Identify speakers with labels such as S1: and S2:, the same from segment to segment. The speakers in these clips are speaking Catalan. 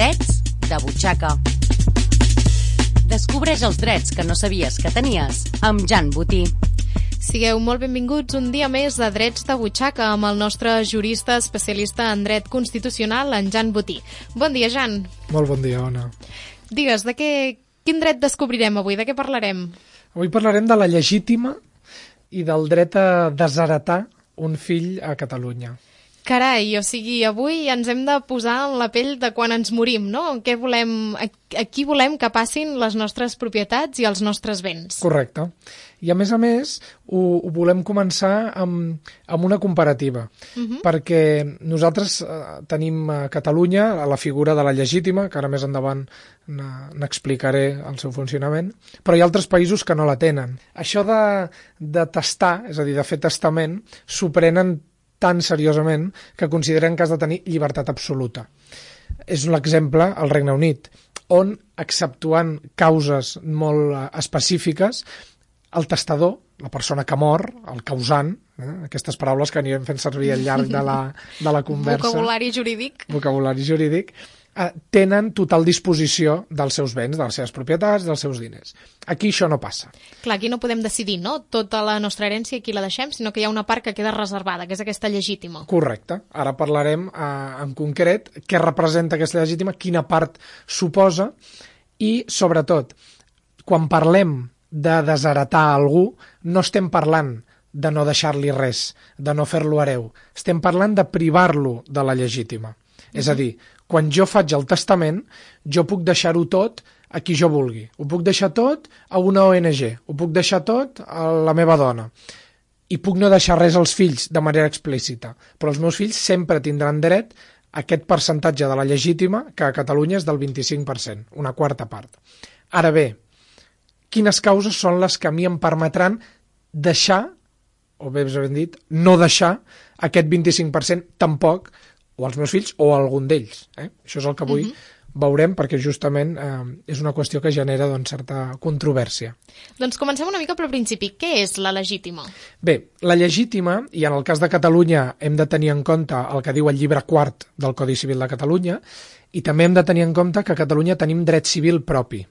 S1: Drets de butxaca. Descobreix els drets que no sabies que tenies amb Jan Botí.
S2: Sigueu molt benvinguts un dia més a Drets de butxaca amb el nostre jurista especialista en dret constitucional, en Jan Botí. Bon dia, Jan.
S3: Molt bon dia, Ona.
S2: Digues, quin dret descobrirem avui? De què parlarem?
S3: Avui parlarem de la legítima i del dret a desheretar un fill a Catalunya.
S2: Carai, o sigui, avui ens hem de posar en la pell de quan ens morim, no? A qui volem que passin les nostres propietats i els nostres béns.
S3: Correcte. I a més, ho volem començar amb una comparativa, perquè nosaltres tenim a Catalunya la figura de la legítima, que ara més endavant n'explicaré el seu funcionament, però hi ha altres països que no la tenen. Això de testar, és a dir, de fer testament, s'ho prenen tan seriosament que consideren que has de tenir llibertat absoluta. És l'exemple al Regne Unit, on, exceptuant causes molt específiques, el testador, la persona que mor, el causant, aquestes paraules que anirem fent servir al llarg de la conversa... Vocabulari jurídic, tenen total disposició dels seus béns, de les seves propietats, dels seus diners. Aquí això no passa.
S2: Clar, aquí no podem decidir, no?, tota la nostra herència aquí la deixem, sinó que hi ha una part que queda reservada, que és aquesta legítima.
S3: Correcte. Ara parlarem en concret què representa aquesta legítima, quina part suposa i, sobretot, quan parlem de desheretar algú, no estem parlant de no deixar-li res, de no fer-lo hereu. Estem parlant de privar-lo de la legítima. És a dir, quan jo faig el testament, jo puc deixar-ho tot a qui jo vulgui. Ho puc deixar tot a una ONG, ho puc deixar tot a la meva dona. I puc no deixar res als fills de manera explícita, però els meus fills sempre tindran dret a aquest percentatge de la legítima, que a Catalunya és del 25%, una quarta part. Ara bé, quines causes són les que a mi em permetran deixar, o bé ben dit, no deixar aquest 25% tampoc, o als meus fills o a algun d'ells. Això és el que avui veurem, perquè justament és una qüestió que genera certa controvèrsia.
S2: Doncs comencem una mica pel principi. Què és la legítima?
S3: Bé, la legítima, i en el cas de Catalunya hem de tenir en compte el que diu el llibre quart del Codi Civil de Catalunya, i també hem de tenir en compte que a Catalunya tenim dret civil propi.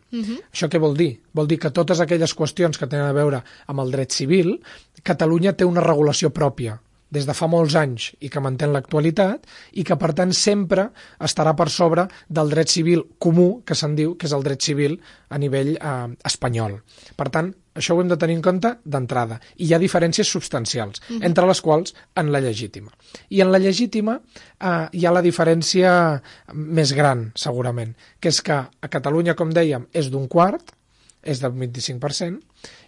S3: Això què vol dir? Vol dir que totes aquelles qüestions que tenen a veure amb el dret civil, Catalunya té una regulació pròpia des de fa molts anys i que manté l'actualitat i que, per tant, sempre estarà per sobre del dret civil comú, que se'n diu, que és el dret civil a nivell espanyol. Per tant, això ho hem de tenir en compte d'entrada. I hi ha diferències substancials, entre les quals en la legítima. I en la legítima hi ha la diferència més gran, segurament, que és que a Catalunya, com dèiem, és d'un quart, és del 25%,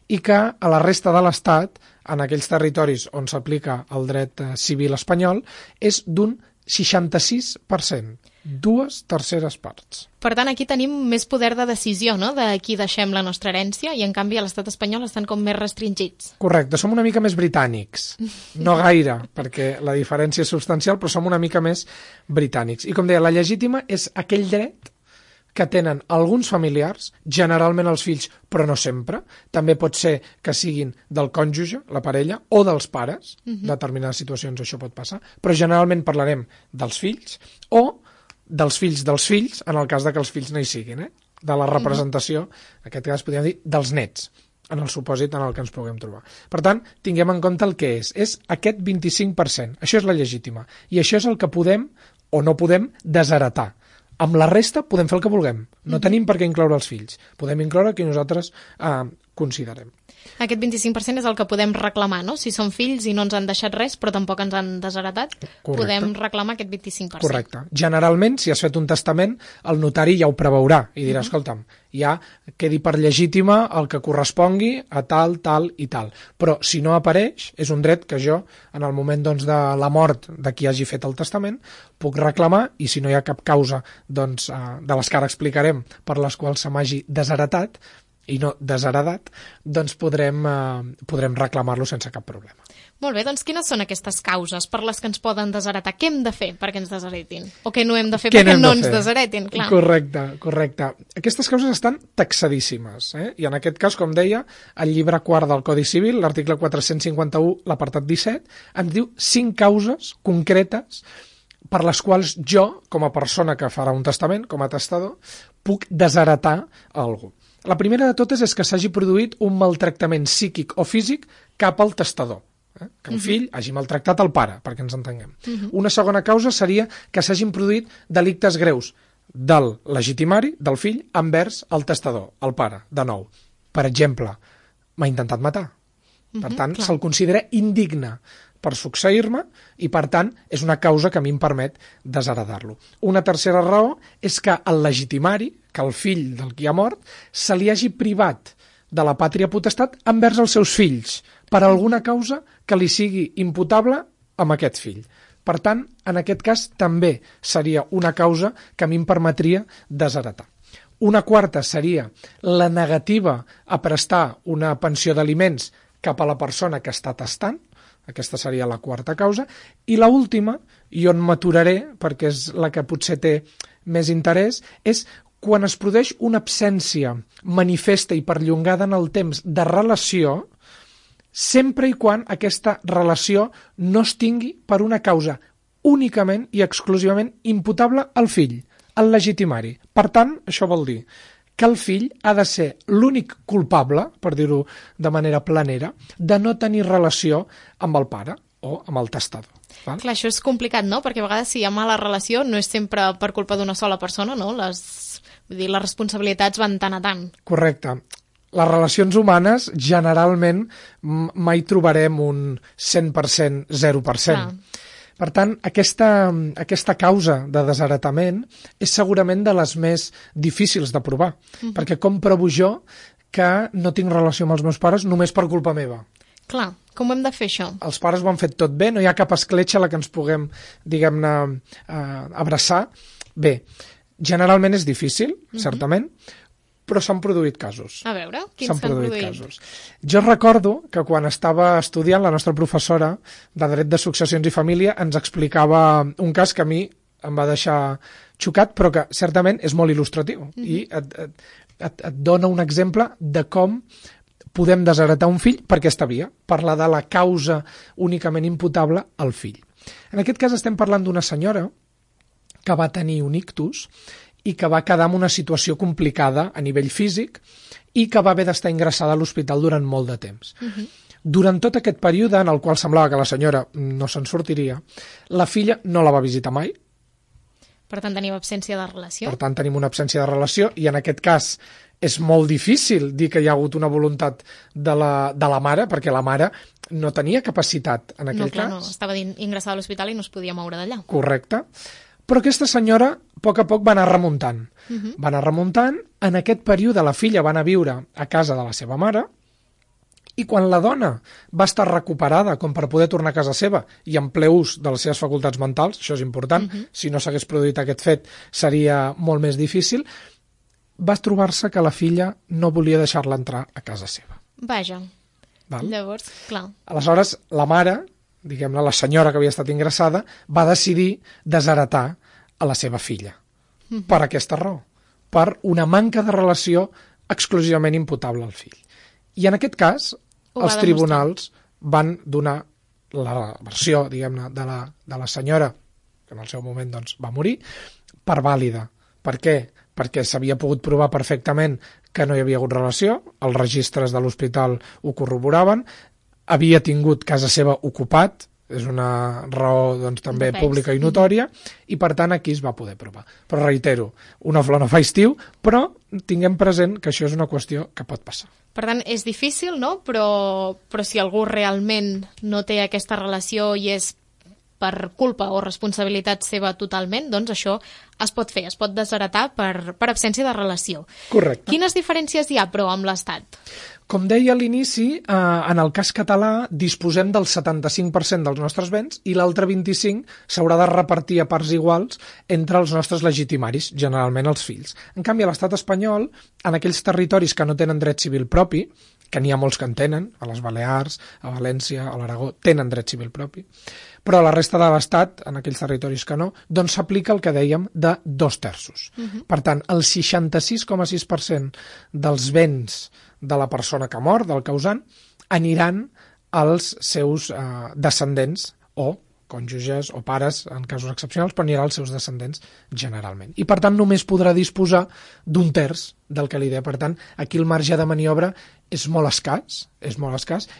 S3: i que a la resta de l'Estat, en aquells territoris on s'aplica el dret civil espanyol, és d'un 66%, 2/3 parts.
S2: Per tant, aquí tenim més poder de decisió, no?, de qui deixem la nostra herència, i en canvi a l'estat espanyol estan com més restringits.
S3: Correcte, som una mica més britànics. No gaire, perquè la diferència és substancial, però som una mica més britànics. I com deia, la legítima és aquell dret que tenen alguns familiars, generalment els fills, però no sempre. També pot ser que siguin del cònjuge, la parella, o dels pares. En determinades situacions això pot passar. Però generalment parlarem dels fills o dels fills, en el cas de que els fills no hi siguin. De la representació, en aquest cas podríem dir, dels nets, en el supòsit en el que ens puguem trobar. Per tant, tinguem en compte el que és. És aquest 25%. Això és la legítima. I això és el que podem o no podem desheretar. Amb la resta podem fer el que vulguem. No tenim per què incloure els fills. Podem incloure qui nosaltres considerem.
S2: Aquest 25% és el que podem reclamar, no? Si són fills i no ens han deixat res, però tampoc ens han desheretat, podem reclamar aquest 25%.
S3: Correcte. Generalment, si has fet un testament, el notari ja ho preveurà i dirà, escolta'm, ja quedi per legítima el que correspongui a tal, tal i tal. Però si no apareix, és un dret que jo, en el moment de la mort de qui hagi fet el testament, puc reclamar, i si no hi ha cap causa de les que ara explicarem per les quals se m'hagi desheretat i no desheredat, doncs podrem reclamar-lo sense cap problema.
S2: Molt bé, doncs quines són aquestes causes per les que ens poden desheretar? Què hem de fer perquè ens desheretin? O què no hem de fer perquè no ens desheretin? Clar.
S3: Correcte. Aquestes causes estan taxadíssimes, i en aquest cas, com deia, el llibre quart del Codi Civil, l'article 451, l'apartat 17, ens diu 5 causes concretes per les quals jo, com a persona que farà un testament, com a testador, puc desheretar a algú. La primera de totes és que s'hagi produït un maltractament psíquic o físic cap al testador. Que el fill hagi maltractat el pare, perquè ens entenguem. Una segona causa seria que s'hagin produït delictes greus del legitimari, del fill, envers el testador, el pare, de nou. Per exemple, m'ha intentat matar. Per tant, se'l considera indigne per succeir-me i, per tant, és una causa que a mi em permet desheredar-lo. Una tercera raó és que el legitimari, que el fill del qui ha mort, se li hagi privat de la pàtria potestat envers els seus fills, per alguna causa que li sigui imputable amb aquest fill. Per tant, en aquest cas també seria una causa que a mi em permetria desheretar. Una quarta seria la negativa a prestar una pensió d'aliments cap a la persona que està testant. Aquesta seria la quarta causa. I la última, i on m'aturaré, perquè és la que potser té més interès, és quan es produeix una absència manifesta i perllongada en el temps de relació, sempre i quan aquesta relació no es tingui per una causa únicament i exclusivament imputable al fill, al legitimari. Per tant, això vol dir que el fill ha de ser l'únic culpable, per dir-ho de manera planera, de no tenir relació amb el pare o amb el testador. Val?
S2: Clar, això és complicat, no? Perquè a vegades si hi ha mala relació no és sempre per culpa d'una sola persona, no? Vull dir, les responsabilitats van tant a tant.
S3: Correcte. Les relacions humanes, generalment, mai trobarem un 100%, 0%. Clar. Per tant, aquesta causa de desheretament és segurament de les més difícils de provar, perquè com provo jo que no tinc relació amb els meus pares només per culpa meva?
S2: Clar, com hem de fer això?
S3: Els pares ho han fet tot bé, no hi ha cap escletxa a la que ens puguem, diguem-ne, abraçar. Bé, generalment és difícil, certament, però s'han produït casos.
S2: A veure, quins s'han produït?
S3: Casos. Jo recordo que quan estava estudiant, la nostra professora de Dret de Successions i Família ens explicava un cas que a mi em va deixar xocat, però que certament és molt il·lustratiu i et dona un exemple de com podem desheretar un fill per aquesta via, parlar de la causa únicament imputable al fill. En aquest cas estem parlant d'una senyora que va tenir un ictus i que va quedar en una situació complicada a nivell físic i que va haver d'estar ingressada a l'hospital durant molt de temps. Durant tot aquest període, en el qual semblava que la senyora no se'n sortiria, la filla no la va visitar mai.
S2: Per tant, tenim absència de relació.
S3: Per tant, tenim una absència de relació i en aquest cas és molt difícil dir que hi ha hagut una voluntat de la mare, perquè la mare no tenia capacitat en aquell cas.
S2: No, estava ingressada a l'hospital i no es podia moure d'allà.
S3: Correcte. Però aquesta senyora, a poc a poc, va anar remuntant. Va anar remuntant. En aquest període la filla va anar a viure a casa de la seva mare i quan la dona va estar recuperada com per poder tornar a casa seva i en ple ús de les seves facultats mentals, això és important, si no s'hagués produït aquest fet seria molt més difícil, va trobar-se que la filla no volia deixar-la entrar a casa seva.
S2: Vaja.
S3: Val?
S2: Llavors, clar.
S3: Aleshores, la mare, diguem-ne, la senyora que havia estat ingressada, va decidir desheretar a la seva filla. Per aquesta raó. Per una manca de relació exclusivament imputable al fill. I en aquest cas, els tribunals van donar la versió, diguem-ne, de la senyora, que en el seu moment doncs, va morir, per vàlida. Per què? Perquè s'havia pogut provar perfectament que no hi havia hagut relació, els registres de l'hospital ho corroboraven, havia tingut casa seva ocupat, és una raó doncs, també pública i notòria, i per tant aquí es va poder provar. Però reitero, una flor no fa estiu, però tinguem present que això és una qüestió que pot passar.
S2: Per tant, és difícil, no? Però si algú realment no té aquesta relació i és per culpa o responsabilitat seva totalment, doncs això es pot fer, es pot desheretar per absència de relació.
S3: Correcte.
S2: Quines diferències hi ha, però, amb l'Estat?
S3: Com deia a l'inici, en el cas català disposem del 75% dels nostres béns i l'altre 25% s'haurà de repartir a parts iguals entre els nostres legitimaris, generalment els fills. En canvi, a l'estat espanyol, en aquells territoris que no tenen dret civil propi, que n'hi ha molts que en tenen, a les Balears, a València, a l'Aragó, tenen dret civil propi, però a la resta de l'Estat, en aquells territoris que no, doncs s'aplica el que dèiem de 2/3. Per tant, el 66,6% dels béns de la persona que mor, del causant, aniran als seus descendents o cònjuges o pares en casos excepcionals, però anirà als seus descendents generalment. I per tant només podrà disposar d'un terç del que li dé. Per tant, aquí el marge de maniobra és molt escàs,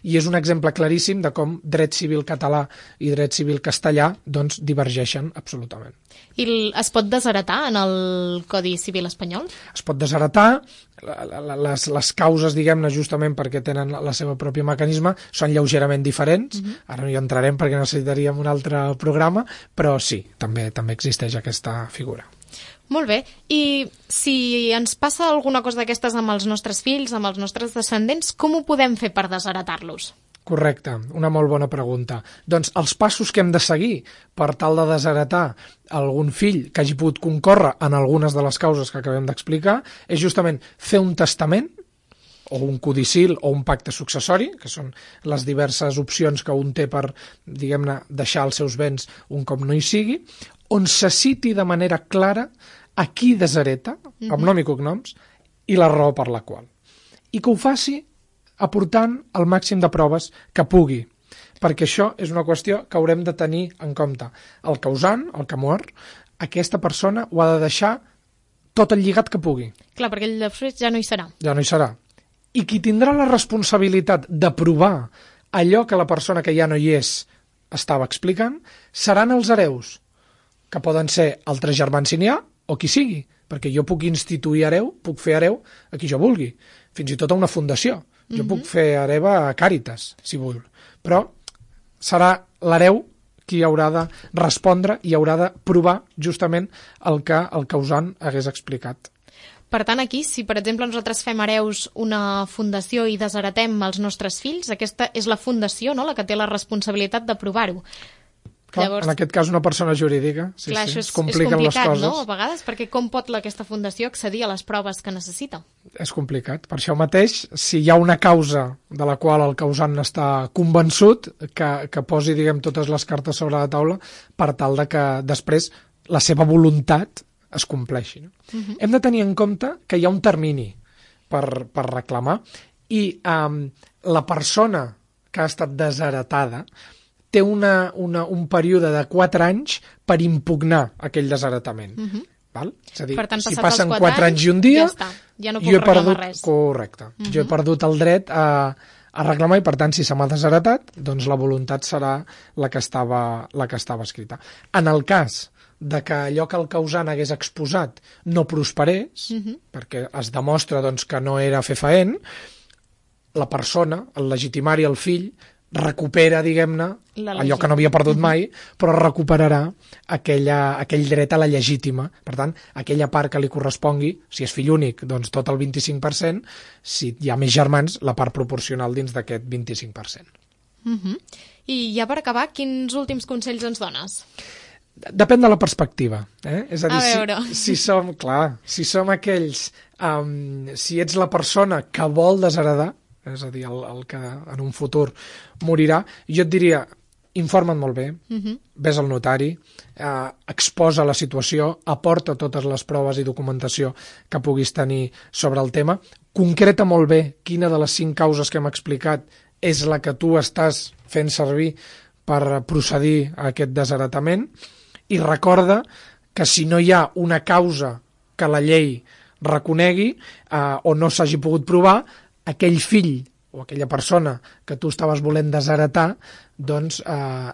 S3: i és un exemple claríssim de com dret civil català i dret civil castellà doncs, divergeixen absolutament.
S2: I es pot desheretar en el Codi Civil espanyol?
S3: Es pot desheretar, les causes, diguem-ne, justament perquè tenen la seva pròpia mecanisme, són lleugerament diferents. Ara no hi entrarem perquè necessitaríem un altre programa, però sí, també existeix aquesta figura.
S2: Molt bé. I si ens passa alguna cosa d'aquestes amb els nostres fills, amb els nostres descendents, com ho podem fer per desheretar-los?
S3: Correcte, una molt bona pregunta. Doncs els passos que hem de seguir per tal de desheretar algun fill que hagi pogut concórrer en algunes de les causes que acabem d'explicar és justament fer un testament o un codicil o un pacte successori, que són les diverses opcions que un té per, diguem-ne, deixar els seus béns un cop no hi sigui, on se citi de manera clara a qui deshereta, amb nom i cognoms, i la raó per la qual. I que ho faci aportant el màxim de proves que pugui, perquè això és una qüestió que haurem de tenir en compte. El causant, el que mor, aquesta persona ho ha de deixar tot el lligat que pugui.
S2: Clar, perquè ell després ja no hi serà.
S3: Ja no hi serà. I qui tindrà la responsabilitat de provar allò que la persona que ja no hi és estava explicant seran els hereus, que poden ser altres germans si n'hi ha, o qui sigui, perquè jo puc instituir hereu, puc fer hereu a qui jo vulgui, fins i tot a una fundació. Jo puc fer hereva a Càritas, si vull, però serà l'hereu qui haurà de respondre i haurà de provar justament el que el causant hagués explicat.
S2: Per tant, aquí, si per exemple nosaltres fem hereus una fundació i desheretem els nostres fills, aquesta és la fundació, no?, la que té la responsabilitat de provar-ho.
S3: Clar, llavors, en aquest cas una persona jurídica, sí,
S2: clar,
S3: sí,
S2: és
S3: compliquen
S2: complicat,
S3: les coses.
S2: No?, a vegades, perquè com pot aquesta fundació accedir a les proves que necessita?
S3: És complicat. Per això mateix, si hi ha una causa de la qual el causant està convençut, que posi, diguem, totes les cartes sobre la taula per tal de que després la seva voluntat es compleixi. No? Hem de tenir en compte que hi ha un termini per reclamar i la persona que ha estat desheretada té un període de 4 anys per impugnar aquell desheretament. Val? És a dir,
S2: per tant,
S3: si passen 4 anys i un dia,
S2: ja està. Ja no puc reclamar res.
S3: Correcte. Jo he perdut el dret a reclamar i, per tant, si se m'ha desheretat, doncs la voluntat serà la que estava escrita. En el cas de que allò que el causant hagués exposat no prosperés, perquè es demostra doncs, que no era fefaent, la persona, el legitimari, el fill, recupera, diguem-ne, allò que no havia perdut mai, però recuperarà aquell dret a la legítima. Per tant, aquella part que li correspongui, si és fill únic, doncs tot el 25%, si hi ha més germans, la part proporcional dins d'aquest 25%.
S2: I ja per acabar, quins últims consells ens dones?
S3: Depèn de la perspectiva. És a dir,
S2: a veure.
S3: si som aquells, si ets la persona que vol desheredar, és a dir, el que en un futur morirà, jo et diria, informa't molt bé, ves al notari, exposa la situació, aporta totes les proves i documentació que puguis tenir sobre el tema, concreta molt bé quina de les 5 causes que hem explicat és la que tu estàs fent servir per procedir a aquest desheretament, i recorda que si no hi ha una causa que la llei reconegui o no s'hagi pogut provar, aquell fill o aquella persona que tu estaves volent desheretar, doncs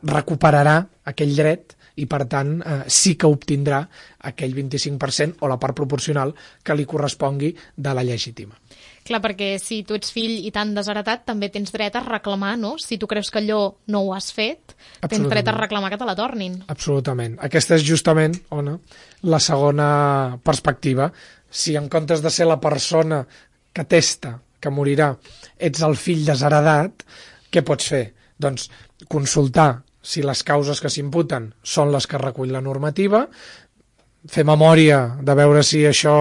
S3: recuperarà aquell dret i, per tant, sí que obtindrà aquell 25% o la part proporcional que li correspongui de la legítima.
S2: Clar, perquè si tu ets fill i t'han desheretat, també tens dret a reclamar, no? Si tu creus que allò no ho has fet, tens dret a reclamar que te la tornin.
S3: Absolutament. Aquesta és justament, la segona perspectiva. Si en comptes de ser la persona que testa que morirà, ets el fill desheredat, què pots fer? Doncs consultar si les causes que s'imputen són les que recull la normativa, fer memòria de veure si això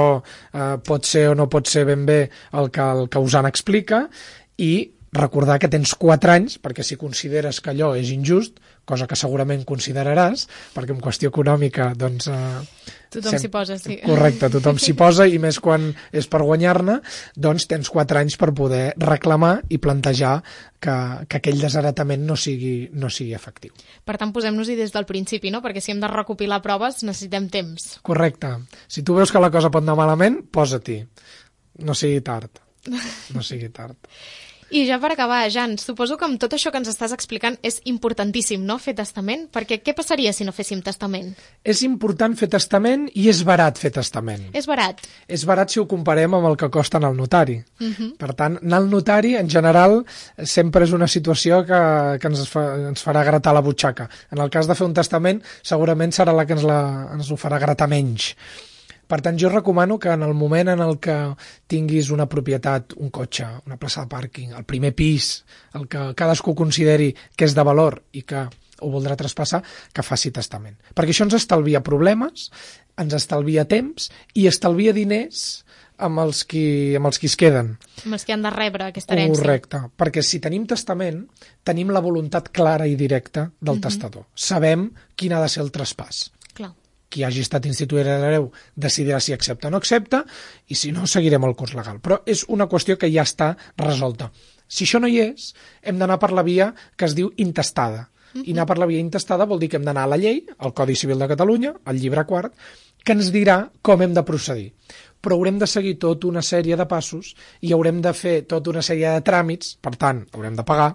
S3: pot ser o no pot ser ben bé el que el causant explica i recordar que tens 4 anys, perquè si consideres que allò és injust, cosa que segurament consideraràs, perquè en qüestió econòmica, doncs...
S2: Tothom s'hi posa, sí.
S3: Correcte, tothom s'hi posa, i més quan és per guanyar-ne, doncs tens 4 anys per poder reclamar i plantejar que aquell desheretament no sigui efectiu.
S2: Per tant, posem-nos-hi des del principi, no? Perquè si hem de recopilar proves necessitem temps.
S3: Correcte. Si tu veus que la cosa pot anar malament, posa-t'hi. No sigui tard. No sigui tard.
S2: I ja per acabar, Jan, suposo que amb tot això que ens estàs explicant és importantíssim, no?, fer testament, perquè què passaria si no féssim testament?
S3: És important fer testament i és barat fer testament.
S2: És barat?
S3: És barat si ho comparem amb el que costa anar al notari. Per tant, anar al notari, en general, sempre és una situació que ens farà gratar la butxaca. En el cas de fer un testament, segurament serà la que ens ho farà gratar menys. Per tant, jo recomano que en el moment en el que tinguis una propietat, un cotxe, una plaça de pàrquing, el primer pis, el que cadascú consideri que és de valor i que ho voldrà traspassar, que faci testament. Perquè això ens estalvia problemes, ens estalvia temps i estalvia diners amb els qui es queden.
S2: Amb els que han de rebre aquesta herència.
S3: Correcte, perquè si tenim testament, tenim la voluntat clara i directa del testador. Sabem quin ha de ser el traspàs.
S2: Clar.
S3: Qui hagi estat instituït hereu decidirà si accepta o no accepta, i si no, seguirem el curs legal. Però és una qüestió que ja està resolta. Si això no hi és, hem d'anar per la via que es diu intestada. I anar per la via intestada vol dir que hem d'anar a la llei, al Codi Civil de Catalunya, al llibre 4, que ens dirà com hem de procedir. Però haurem de seguir tota una sèrie de passos i haurem de fer tota una sèrie de tràmits, per tant, haurem de pagar,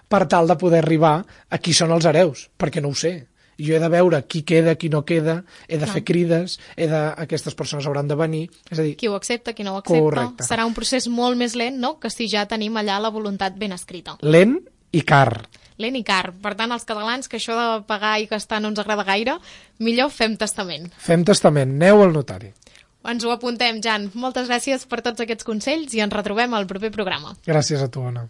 S3: per tal de poder arribar a qui són els hereus, perquè no ho sé. Jo he de veure qui queda, qui no queda, he de fer crides, aquestes persones hauran de venir, és a dir...
S2: Qui ho accepta, qui no ho accepta.
S3: Correcte.
S2: Serà un procés molt més lent, no?, que si ja tenim allà la voluntat ben escrita.
S3: Lent i car.
S2: Lent i car. Per tant, els catalans, que això de pagar i gastar no ens agrada gaire, millor fem testament.
S3: Fem testament, aneu al notari.
S2: Ens ho apuntem, Jan. Moltes gràcies per tots aquests consells i ens retrobem al proper programa.
S3: Gràcies a tu, Anna.